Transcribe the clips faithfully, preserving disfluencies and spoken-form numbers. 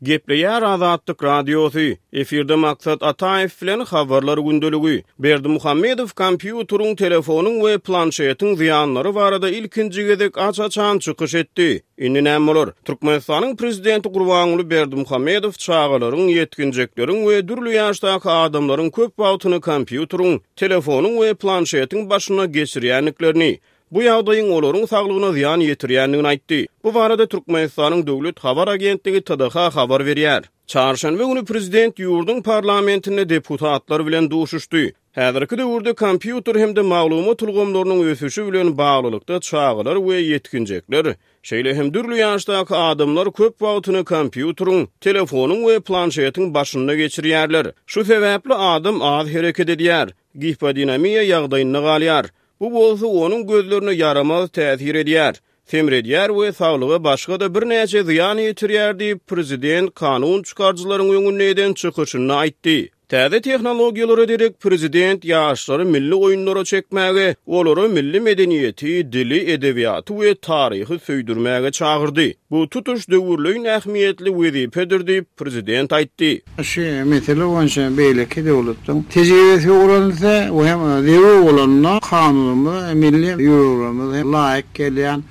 Gepleýär Azatlyk Radiosy. Efirde Maksat Ataýew bilen habarlar gündeligi. Berdimuhamedow kompýuteriň, telefonyň we planşetiň zyýanlary barada ilkinji gezek aç-açan çykyş etdi. Indi näme bolar? Türkmenistanyň prezidenti Gurbanguly Berdimuhamedow çagalaryň, ýetginjekleriň we dürli ýaşdaky adamlaryň köp wagtyny kompýuteriň, telefonyň we planşetiň başynda geçirýändiklerini, bu ýagdaýyň olaryň saglygyna zyýan ýetirýändigini aýtdy. Bu barada Türkmenistanyň Döwlet habar agentligi T D H habar berýär. Çarşenbe güni prezident ýurduň parlamentinde deputatlar bilen duşuşdy. Häzirki döwürde kompýuter hem-de maglumat ulgamlarynyň ösüşi bilen baglylykda çagalar we ýetginjekler, şeýle hem dürli ýaşdaky adamlar köp wagtyny kompýuteriň, telefonyň we planşetiň başynda geçirýärler. Şu sebäpli adam az hereket edýär, gipodinamiýa ýagdaýynda galýar. Bu bolsa onuň gözlerine ýaramaz täsir edýär, semredýär we saglyga başga-da birnäçe zyýan ýetirýär diýip, prezident kanun çykaryjylaryň öňünde eden çykyşynda aýtdy. Täze tehnologiýalara derek prezident ýaşlary milli oýunlara çekmäge, olara milli medeniýeti, dili, edebiýaty we taryhy söýdürmäge çagyrdy. Bu tutuş döwürleýin ähmiýetli wezipedir diýip, prezident aýtdy. Şu mesele boýunça beýleki döwletleň tejribesi öwrenilse we hem zerur bolanda kanunymyza, milli ýörelgelerimize laýyk gelýän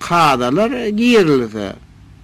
kadalar girilse,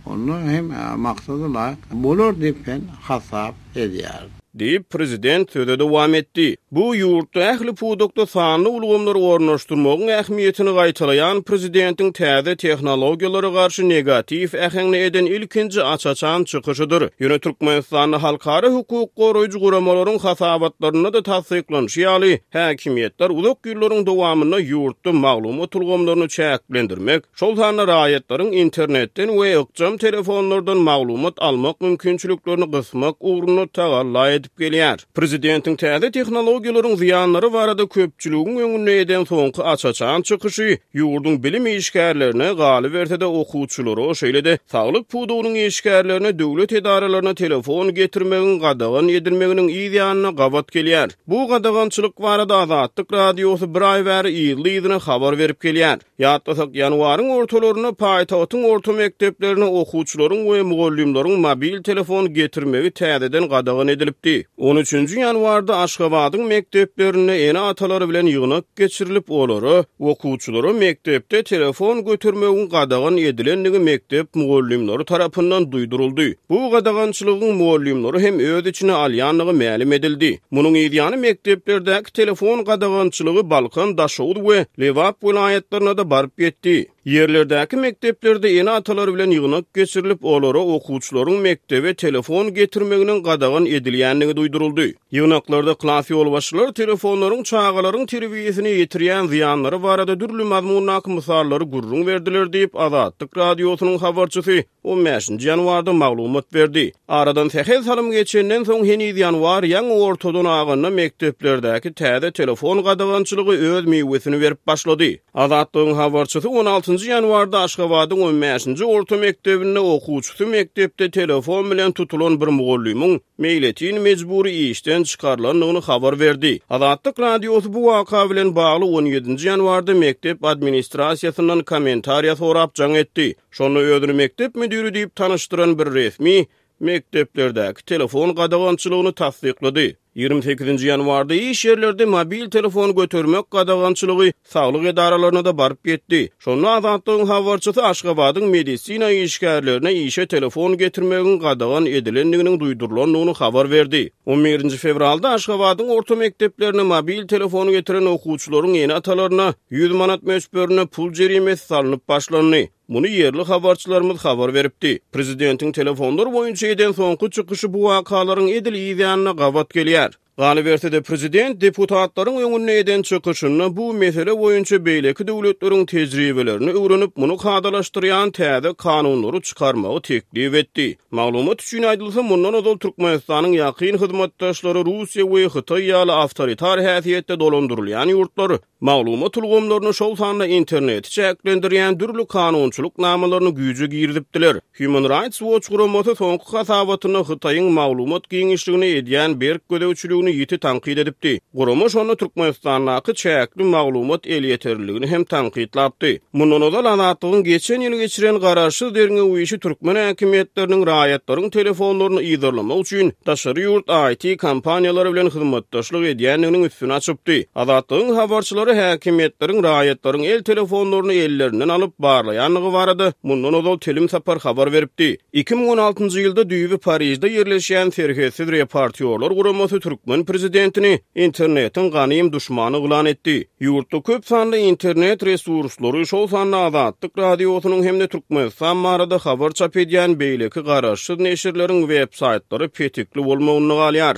onda hem maksada laýyk bolar diýip men hasap edýärin. Diýip, prezident söze dowam etdi. Bu ýurtda ähli pudakda sanly ulgamlary ornaşdyrmagyň ähmiýetini gaýtalaýan prezidentiň täze tehnologiýalara garşy negatiw äheňli eden ilkinji aç-açan çykyşydyr. Ýöne Türkmenistanda halkara hukuk goraýjy guramalaryň hasabatlarynda-da tassyklanyşy ýaly, häkimiýetler uzak ýyllaryň dowamynda ýurtda maglumat ulgamlaryny çäklendirmek, şol sanda raýatlaryň internetden we ykjam telefonlardan maglumat almak mümkinçiliklerini gysmak ugrunda tagalla edip gelýär. Prezidentiň täze tehnologiýalaryň zyýanlary barada köpçüligiň öňünde eden soňky aç-açan çykyşy ýurduň bilim işgärlerine, galyberse-de okuwçylara, şeýle-de saglyk pudagynyň işgärlerine döwlet edaralaryna telefon getirmegiň gadagan edilmeginiň yz ýanyna gabat gelýär. Bu gadagançylyk barada Azatlyk Radiosy bir aý bäri yzly-yzyna habar berip gelýär. Ýatlasak, ýanwaryň ortalarynda paýtagtyň orta mekdeplerine okuwçylaryň we mugallymlaryň mobil telefon getirmegi täzeden gadagan edilipdi. On üçünji ýanwarda Aşgabadyň mekdeplerinde ene-atalary bilen ýygnak geçirilip, olara okuwçylara mekdepde telefon götürmegiň gadagan edilendigi mekdep mugallymlary tarapyndan duýduryldy. Bu gadagançylygyň mugallymlary hem öz içine alýandygy mälim edildi. Munuň ýany mekdeplerdäki telefon gadagançylygy Balkan, Daşoguz we Lebap welaýatlaryna da baryp ýetdi. Ýerlerdäki mekdeplerde ene-atalar bilen ýygnak geçirilip, olara okuwçylaryň mekdebe telefon getirmeginiň gadagan edilýändigi duýduryldy. Ýygnaklarda klas ýolbaşçylary telefonlaryň çagalaryň terbiýesine ýetirýän zyýanlary barada dürli mazmundaky mysallary gürrüň berdiler diýip, Azatlyk Radiosynyň habarçysy on bäşinji ýanwarda maglumat berdi. Aradan sähel salym geçenden soň heniz ýanwar ýaňy ortadan aganda mekdeplerdäki täze telefon gadagançylygy öz miwesini berip başlady. Azatlygyň habarçysy on altynjy ýanwarda Aşgabadyň on bäşinji orta mekdebinde okuwçysy mekdepde telefon bilen tutulan bir mugallymyň meýletin mejbury işden çykarylandygyny habar berdi. Azatlyk Radiosy bu waka bilen bagly on ýedinji ýanwarda mekdep administrasiýasyndan kommentariýa sorap jaň etdi. Şonda özüni mekdep müdiri diýip tanyşdyran bir resmi mekdeplerdäki telefon gadagançylygyny tassyklady. Ýigrimi sekizinji ýanwarda iş ýerlerde mobil telefon götermek gadagançylygy saglyk edaralaryna da baryp ýetdi. Şonda Azatlygyň habarçysy Aşgabadyň medisina işgärlerine işe telefon getirmegiň gadagan edilendiginiň duýdurylandygyny habar berdi. On birinji fewralda Aşgabadyň orta mekdeplerine mobil telefon getiren okuwçylaryň ene-atalaryna ýüz manat möçberinde pul jerimesi salnyp başlandy. Muny ýerli habarçylarymyz habar beripdi. Prezidentiň telefonlar boýunça eden soňky çykyşy bu wakalaryň edil yz ýanyna gabat gelýär. Galyberse-de prezident deputatlaryň öňünde eden çykyşynda bu mesele boýunça beýleki döwletleriň tejribelerini öwrenip, muny kadalaşdyrýan täze kanunlary çykarmagy teklip etdi. Maglumat üçin aýdylsa, mundan ozal Türkmenistanyň ýakyn hyzmatdaşlary Russiýa we Hytaý ýaly awtoritar häsiýetde dolandyrylýan ýurtlar maglumat ulgamlaryny, şol sanda interneti çäklendirýän dürli kanunçylyk namalaryny güýje girizipdiler. Human Rights Watch guramasy soňky hasabatynda Hytaýyň maglumat giňişligine edýän berk gözegçiligini düzgünini ýiti tankyt edipdi. Gurama şonda Türkmenistandaky çäkli maglumat elýeterliligini hem tankytlapdy. Mundan ozal Azatlygyň geçen ýyl geçiren garaşsyz derňew işi türkmen häkimiýetleriniň raýatlaryň telefonlaryny yzarlamak üçin daşary ýurt I T kompaniýalary bilen hyzmatdaşlyk edýändiginiň üstüni açypdy. Azatlygyň habarçylary häkimiýetleriň raýatlaryň el telefonlaryny ellerinden alyp barlaýandygy barada mundan ozal telim sapar habar beripdi. Iki müň on altynjy ýylda düýbi Parijde ýerleşýän serhetsiz reportýorlar guramasy türkmen prezidentini internetiň ganym duşmany yglan etdi. Ýurtda köp sanly internet resurslary, şol sanda Azatlyk radiosynyň hem-de Türkmenistan barada habar çap edýän beýleki garaşsyz neşirleriň web saýtlary petikli bolmagynda galýar.